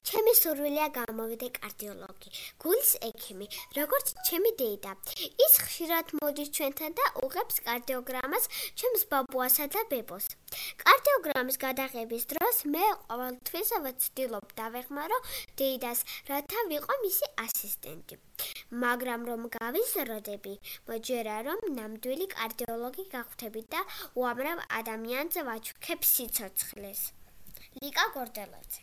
ჩემი სურვილია გამოვიდე კარდიოლოგი, გულის ექიმი, როგორც ჩემი დეიდა. ის ხშირად მოდის ჩვენთან და უღებს კარდიოგრამას ჩემს ბაბუასა და ბებოს. კარდიოგრამის გადაღების დროს მე ყოველთვის ვცდილობ დავეხმარო დეიდას, რათა ვიყო მისი ასისტენტი. მაგრამ რომ გავიზრდები, მოჯერა რომ ნამდვილი კარდიოლოგი გავხდები და უამრავ ადამიანს ვაჩუქებ სიცოცხლეს. ლიკა გორდელაძე